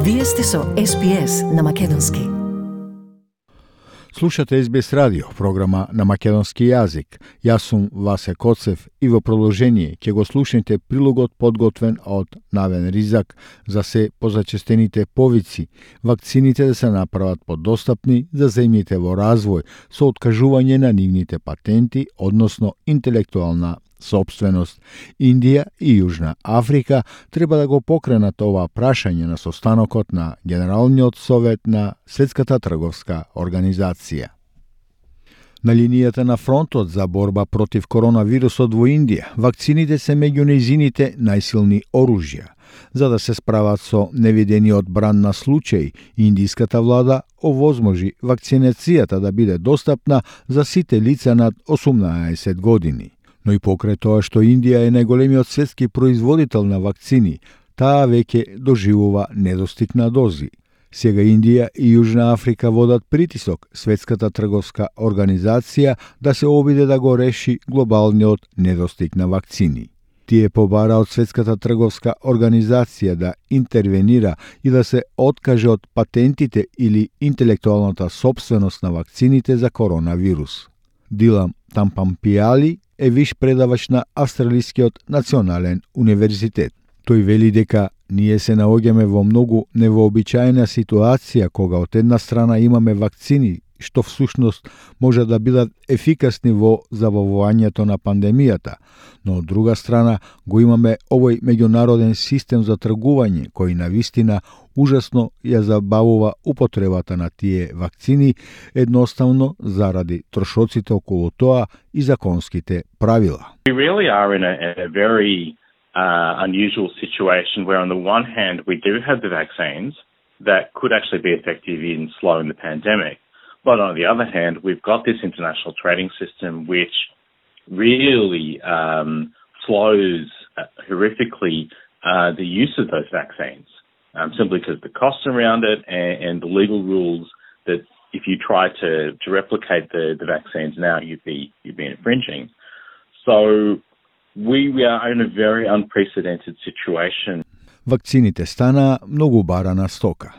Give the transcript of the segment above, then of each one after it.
Вие сте со SPS на Македонски. Слушате SBS радио, програма на македонски јазик. Јас сум Васе Коцев и во продолжение ќе го слушнете прилогот подготвен од Навен Ризак за се позачестените повици, вакцините да се направат подостапни за земјите во развој со откажување на нивните патенти, односно интелектуална собственост. Индија и Јужна Африка треба да го покренат ова прашање на состанокот на Генералниот совет на Светската трговска организација. На линијата на фронтот за борба против коронавирусот во Индија, вакцините се меѓу нејзините најсилни оружја. За да се справат со невидениот бран на случај, индиската влада овозможи вакцинацијата да биде достапна за сите лица над 18 години. Но и покрај тоа што Индија е најголемиот светски производител на вакцини, таа веќе доживува недостиг на дози. Сега Индија и Јужна Африка водат притисок Светската трговска организација да се обиде да го реши глобалниот недостиг на вакцини. Тие побара од Светската трговска организација да интервенира и да се откаже од патентите или интелектуалната собственост на вакцините за коронавирус. Дилам Тампампијали е виш предавач на Австралискиот национален универзитет. Тој вели дека ние се наоѓаме во многу невообичаена ситуација кога од една страна имаме вакцини што всушност може да бидат ефикасни во забавувањето на пандемијата, но од друга страна го имаме овој меѓународен систем за тргување кој навистина ужасно ја забавува употребата на тие вакцини едноставно заради трошоците околу тоа и законските правила. We really are in a very unusual situation where on the one hand we do have the vaccines that could actually be effective in slowing the pandemic. But on the other hand, we've got this international trading system which really slows horrifically the use of those vaccines, simply because the costs around it and the legal rules that if you try to replicate the vaccines now, you'd be infringing. So we are in a very unprecedented situation. Вакцините станаа многу барана стока.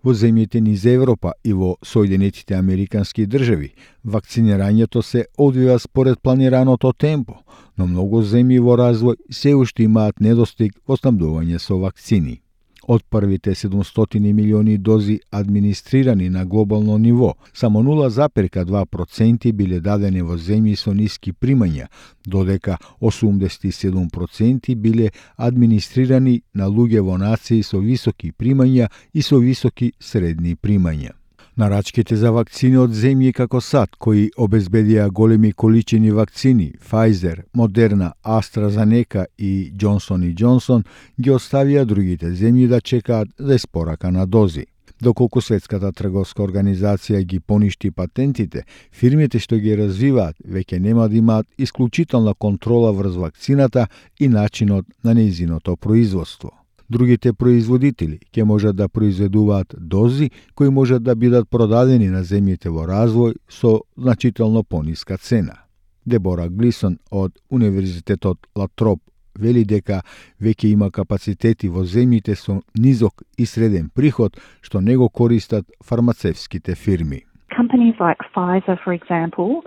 Во земјите низ Европа и во Соединетите Американски држави, вакцинирањето се одвива според планираното темпо, но многу земји во развој се уште имаат недостиг во снабдување со вакцини. Од првите 700 милиони дози администрирани на глобално ниво, само 0,2% биле дадени во земји со ниски примања, додека 87% биле администрирани на луѓе во нации со високи примања и со високи средни примања. Нарачките за вакцини од земји како САД, кои обезбедија големи количини вакцини, Pfizer, Moderna, AstraZeneca и Johnson & Johnson, ги оставија другите земји да чекаат за испорака на дози. Доколку Светската трговска организација ги поништи патентите, фирмите што ги развиваат веќе нема да имаат исклучителна контрола врз вакцината и начинот на нејзиното производство. Другите производители ќе можат да произведуваат дози кои можат да бидат продадени на земјите во развој со значително пониска цена. Дебора Глисон од Универзитетот Латроп вели дека веќе има капацитети во земјите со низок и среден приход што не го користат фармацевските фирми. Companies like Pfizer, for example,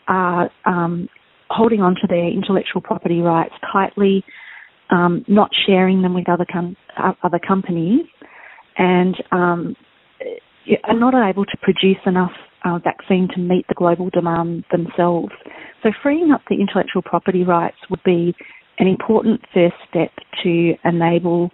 are holding on to their intellectual property rights tightly, not sharing them with other companies, and are not able to produce enough vaccine to meet the global demand themselves. So freeing up the intellectual property rights would be an important first step to enable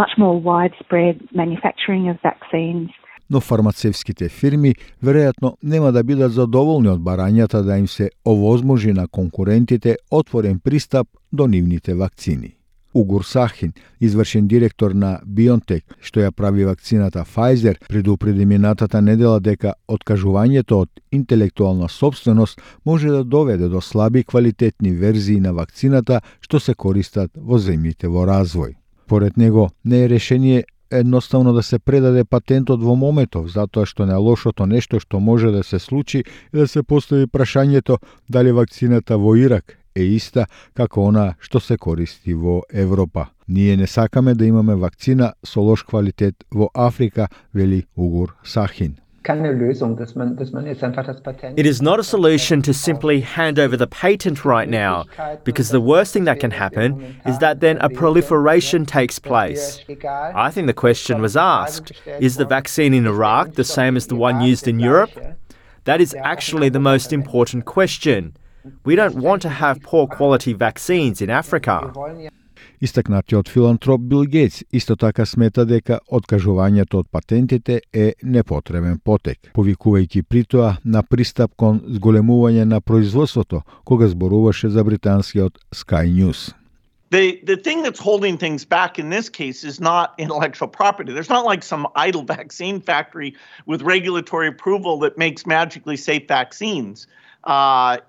much more widespread manufacturing of vaccines. Но фармацевските фирми веројатно нема да бидат задоволни од барањата да им се овозможи на конкурентите отворен пристап до нивните вакцини. Угур Сахин, извршен директор на BioNTech, што ја прави вакцината Pfizer, предупреди минатата недела дека откажувањето од интелектуална собственост може да доведе до слаби квалитетни верзии на вакцината што се користат во земјите во развој. Поред него не е решение едноставно да се предаде патентот во моментов, затоа што најлошото нешто што може да се случи е да се постави прашањето дали вакцината во Ирак е иста како она што се користи во Европа. Ние не сакаме да имаме вакцина со лош квалитет во Африка, вели Угур Сахин. It is not a solution to simply hand over the patent right now, because the worst thing that can happen is that then a proliferation takes place. I think the question was asked, is the vaccine in Iraq the same as the one used in Europe? That is actually the most important question. We don't want to have poor quality vaccines in Africa. Истакнатиот филантроп Бил Гейтс исто така смета дека откажувањето од патентите е непотребен потек, повикувајќи при тоа на пристап кон зголемување на производството, кога зборуваше за британскиот Sky News. The thing that's holding things back in this case is not intellectual property. There's not like some idle vaccine factory with regulatory approval that makes magically safe vaccines.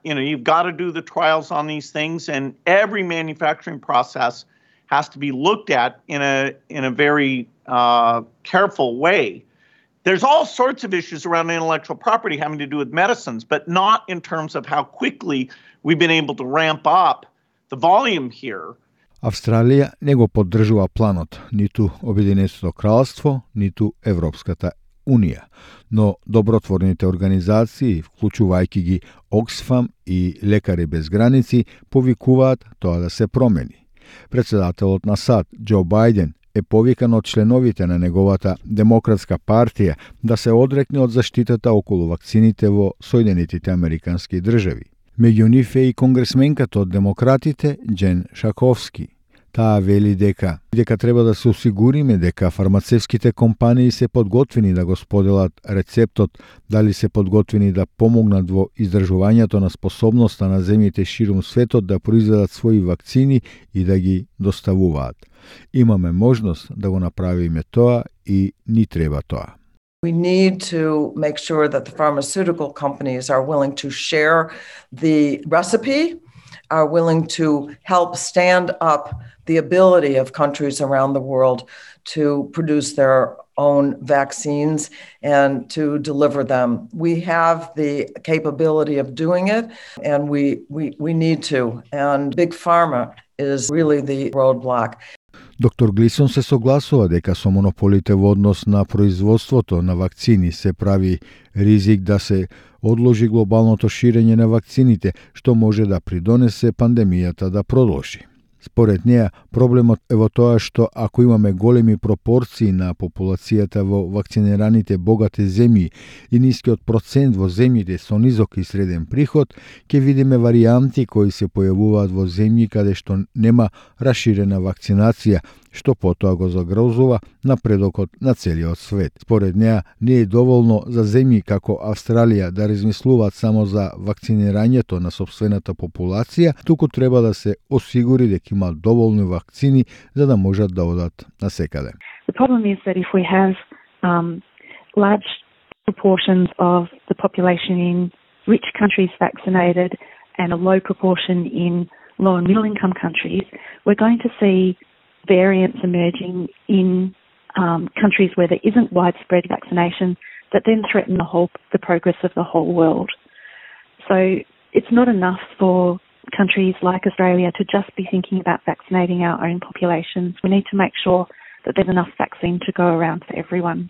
You've got to do the trials on these things, and every manufacturing process has to be looked at in a very careful way. There's all sorts of issues around intellectual property having to do with medicines, but not in terms of how quickly we've been able to ramp up the volume here. Австралија не го поддржува планот, ниту Обединетото кралство, ниту Европската Унија, но добротворните организации, вклучувајќи ги Оксфам и Лекари без граници, повикуваат тоа да се промени. Председателот на САД, Џо Бајден, е повикан од членовите на неговата Демократска партија да се одрекне од заштитата околу вакцините во Соединетите Американски држави. Меѓу нив е и конгресменката од демократите Џен Шаковски. Таа вели дека треба да се осигуриме дека фармацевските компании се подготвени да го споделат рецептот, дали се подготвени да помогнат во издржувањето на способноста на земјите ширум светот да произведат своји вакцини и да ги доставуваат. Имаме можност да го направиме тоа и ни треба тоа. We need to make sure that the pharmaceutical companies are willing to share the recipe, are willing to help stand up the ability of countries around the world to produce their own vaccines and to deliver them. We have the capability of doing it, and we need to. And Big Pharma is really the roadblock. Доктор Глисон се согласува дека со монополите во однос на производството на вакцини се прави ризик да се одложи глобалното ширење на вакцините, што може да придонесе пандемијата да продолжи. Според неа, проблемот е во тоа што ако имаме големи пропорции на популацијата во вакцинираните богати земји и нискиот процент во земјите со низок и среден приход, ќе видиме варијанти кои се појавуваат во земји каде што нема расширена вакцинација, што потоа го загрозува напредокот на целиот свет. Според неа, не е доволно за земји како Австралија да размислуваат само за вакцинирањето на сопствената популација, туку треба да се осигури дека има доволно вакцини за да можат да одат насекаде. The problem is that if we have large proportions of the population in rich countries vaccinated and a low proportion in low and middle income countries, we're going to see variants emerging in countries where there isn't widespread vaccination that then threaten the progress of the whole world. So it's not enough for countries like Australia to just be thinking about vaccinating our own populations. We need to make sure that there's enough vaccine to go around for everyone.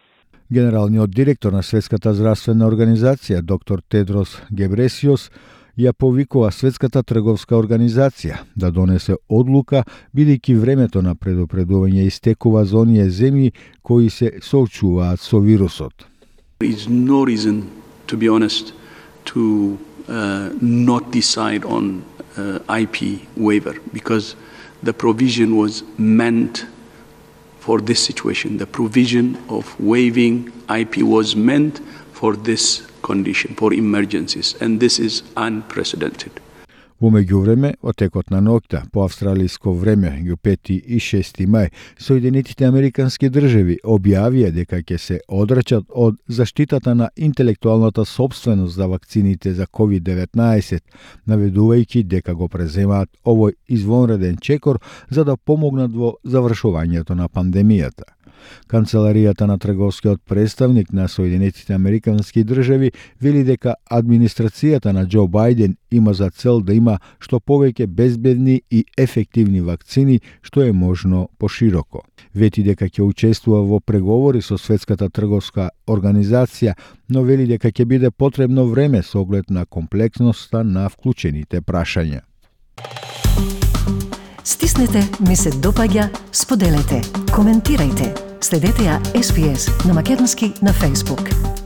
Генералниот директор на Светската здравствена организација, доктор Тедрос Гебресиос, ја повикува Светската трговска организација да донесе одлука, бидејќи времето на предупредување истекува за оние земји кои се соочуваат со вирусот. There is no reason, to be honest, to not decide on IP waiver, because the provision was meant for this situation. The provision of waiving IP was meant for this condition, for emergencies, and this is unprecedented. Во меѓувреме, во текот на ноќта, по австралиско време, меѓу 5 и 6 мај, Соединетите Американски држави објавија дека ќе се одрачат од заштитата на интелектуалната собственост за вакцините за COVID-19, наведувајќи дека го преземаат овој извонреден чекор за да помогнат во завршувањето на пандемијата. Канцеларијата на трговскиот представник на Соединетите Американски држави вели дека администрацијата на Џо Бајден има за цел да има има што повеќе безбедни и ефективни вакцини што е можно пошироко. Вети дека ќе учествува во преговори со Светската трговска организација, но вели дека ќе биде потребно време со оглед на комплексноста на вклучените прашања. Стиснете, ми се допаѓа, споделете, коментирајте. Следете ја SPS на македонски на Facebook.